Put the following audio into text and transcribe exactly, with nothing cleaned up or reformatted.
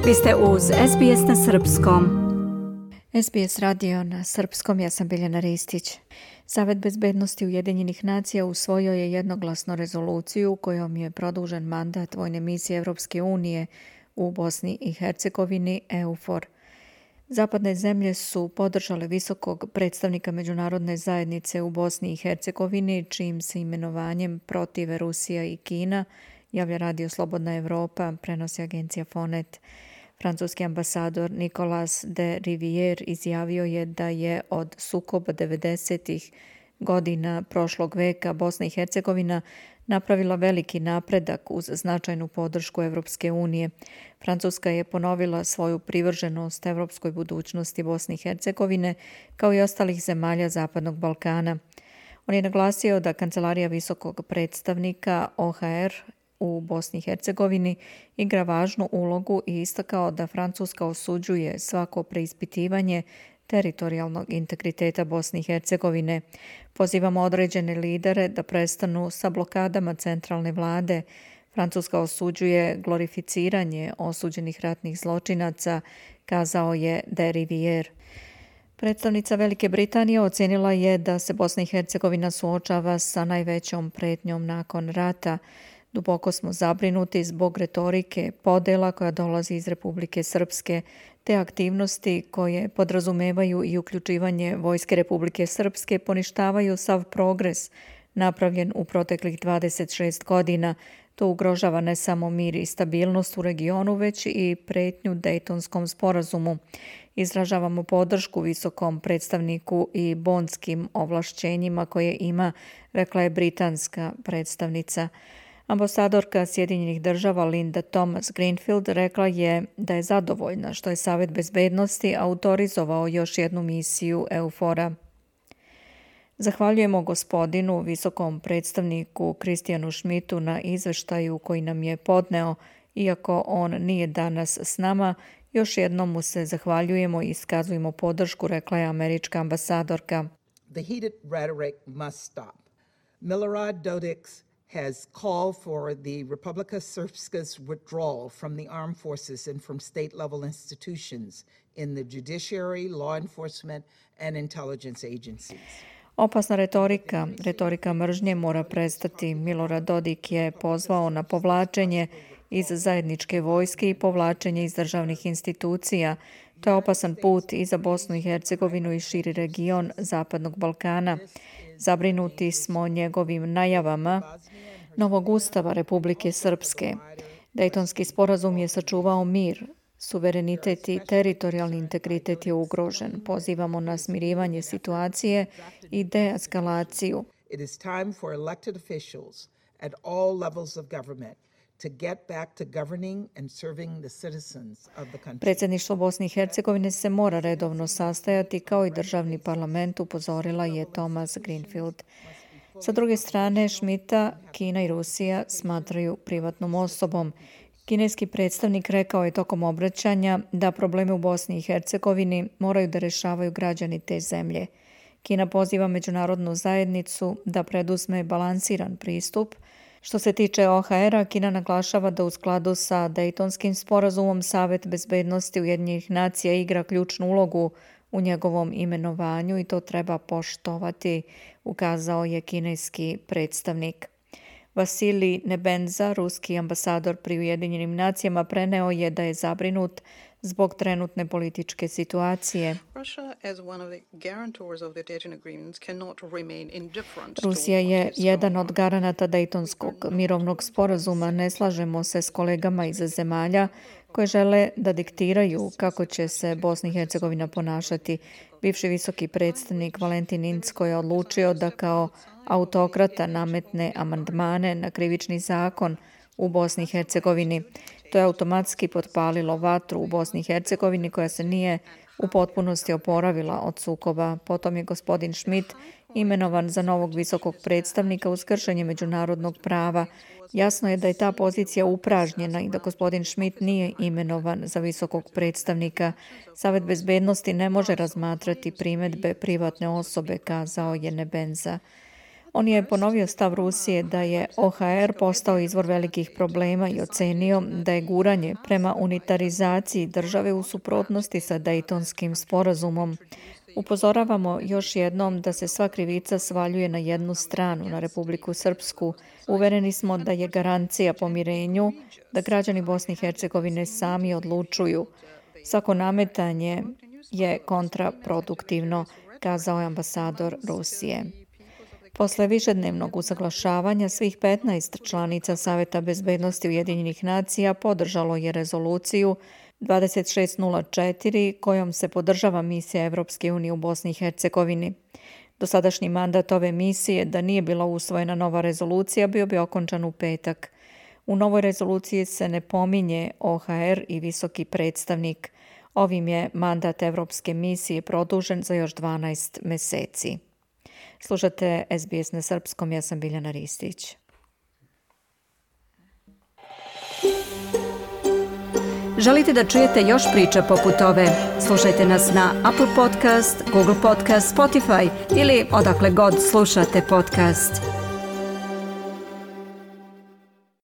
Vi ste uz S B S na srpskom. S B S radio na srpskom, ja sam Biljana Ristić. Savet bezbednosti Ujedinjenih nacija usvojio je jednoglasno rezoluciju kojom je produžen mandat vojne misije Evropske unije u Bosni i Hercegovini EUFOR. Zapadne zemlje su podržale visokog predstavnika međunarodne zajednice u Bosni i Hercegovini, čijim se imenovanjem protive Rusija i Kina, javlja Radio Slobodna Evropa, prenosi agencija Fonet. Francuski ambasador Nicolas de Rivière izjavio je da je od sukoba devedesetih godina prošlog veka Bosna i Hercegovina napravila veliki napredak uz značajnu podršku Evropske unije. Francuska je ponovila svoju privrženost evropskoj budućnosti Bosne i Hercegovine kao i ostalih zemalja Zapadnog Balkana. On je naglasio da Kancelarija visokog predstavnika O H R u Bosni i Hercegovini igra važnu ulogu i istakao da Francuska osuđuje svako preispitivanje teritorijalnog integriteta Bosne i Hercegovine. Pozivamo određene lidere da prestanu sa blokadama centralne vlade. Francuska osuđuje glorificiranje osuđenih ratnih zločinaca, kazao je de Rivière. Predstavnica Velike Britanije ocenila je da se Bosna i Hercegovina suočava sa najvećom pretnjom nakon rata. Duboko smo zabrinuti zbog retorike podela koja dolazi iz Republike Srpske, te aktivnosti koje podrazumevaju i uključivanje Vojske Republike Srpske poništavaju sav progres napravljen u proteklih dvadeset šest godina. To ugrožava ne samo mir i stabilnost u regionu, već i pretnju Dejtonskom sporazumu. Izražavamo podršku visokom predstavniku i bondskim ovlašćenjima koje ima, rekla je britanska predstavnica. Ambasadorka Sjedinjenih država Linda Thomas-Greenfield rekla je da je zadovoljna što je Savet bezbednosti autorizovao još jednu misiju EUFOR-a. Zahvaljujemo gospodinu visokom predstavniku Kristijanu Schmidtu na izveštaju koji nam je podneo, iako on nije danas s nama. Još jednom mu se zahvaljujemo i iskazujemo podršku, rekla je američka ambasadorka. The heated rhetoric must stop. Milorad Dodik has called for the Republika Srpska's withdrawal from the armed forces and from state-level institutions in the judiciary, law enforcement and intelligence agencies. Opasna retorika, retorika mržnje mora prestati. Milorad Dodik je pozvao na povlačenje iz zajedničke vojske i povlačenje iz državnih institucija. To je opasan put i za Bosnu i Hercegovinu i širi region Zapadnog Balkana. Zabrinuti smo njegovim najavama novog ustava Republike Srpske. Dejtonski sporazum je sačuvao mir, suverenitet i teritorijalni integritet je ugrožen. Pozivamo na smirivanje situacije i deeskalaciju. It is time for elected officials at all levels of government to get back to governing and serving the citizens of the country. Predsjedništvo Bosne i Hercegovine se mora redovno sastajati kao i državni parlament, upozorila je Thomas-Greenfield. Sa druge strane, Schmidta Kina i Rusija smatraju privatnom osobom. Kineski predstavnik rekao je tokom obraćanja da probleme u Bosni i Hercegovini moraju da rešavaju građani te zemlje. Kina poziva međunarodnu zajednicu da preduzme balansiran pristup. Što se tiče O H R-a, Kina naglašava da u skladu sa Dejtonskim sporazumom Savet bezbednosti Ujedinjenih nacija igra ključnu ulogu u njegovom imenovanju i to treba poštovati, ukazao je kineski predstavnik. Vasilij Nebenza, ruski ambasador pri Ujedinjenim nacijama, preneo je da je zabrinut zbog trenutne političke situacije. Rusija je jedan od garanata Dejtonskog mirovnog sporazuma. Ne slažemo se s kolegama iz zemalja koje žele da diktiraju kako će se Bosna i Hercegovina ponašati. Bivši visoki predstavnik Valentin Incko je odlučio da kao autokrata nametne amandmane na krivični zakon u Bosni i Hercegovini. To je automatski potpalilo vatru u Bosni i Hercegovini koja se nije u potpunosti oporavila od sukoba. Potom je gospodin Schmidt imenovan za novog visokog predstavnika uz kršenje međunarodnog prava. Jasno je da je ta pozicija upražnjena i da gospodin Schmidt nije imenovan za visokog predstavnika. Savet bezbednosti ne može razmatrati primedbe privatne osobe, kazao je Nebenza. On je ponovio stav Rusije da je O H R postao izvor velikih problema i ocenio da je guranje prema unitarizaciji države u suprotnosti sa Dejtonskim sporazumom. Upozoravamo još jednom da se sva krivica svaljuje na jednu stranu, na Republiku Srpsku. Uvereni smo da je garancija pomirenju da građani Bosne i Hercegovine sami odlučuju. Svako nametanje je kontraproduktivno, kazao je ambasador Rusije. Posle višednevnog usaglašavanja svih petnaest članica Saveta bezbednosti Ujedinjenih nacija podržalo je rezoluciju dvadeset šest nula četiri kojom se podržava misija Evropske unije u Bosni i Hercegovini. Dosadašnji mandat ove misije, da nije bila usvojena nova rezolucija, bio bi okončan u petak. U novoj rezoluciji se ne pominje O H R i visoki predstavnik. Ovim je mandat Evropske misije produžen za još dvanaest meseci. Slušate S B S na srpskom, ja sam Biljana Ristić. Želite da čujete još priča poput ove? Slušajte nas na Apple Podcast, Google Podcast, Spotify ili odakle god slušate podcast.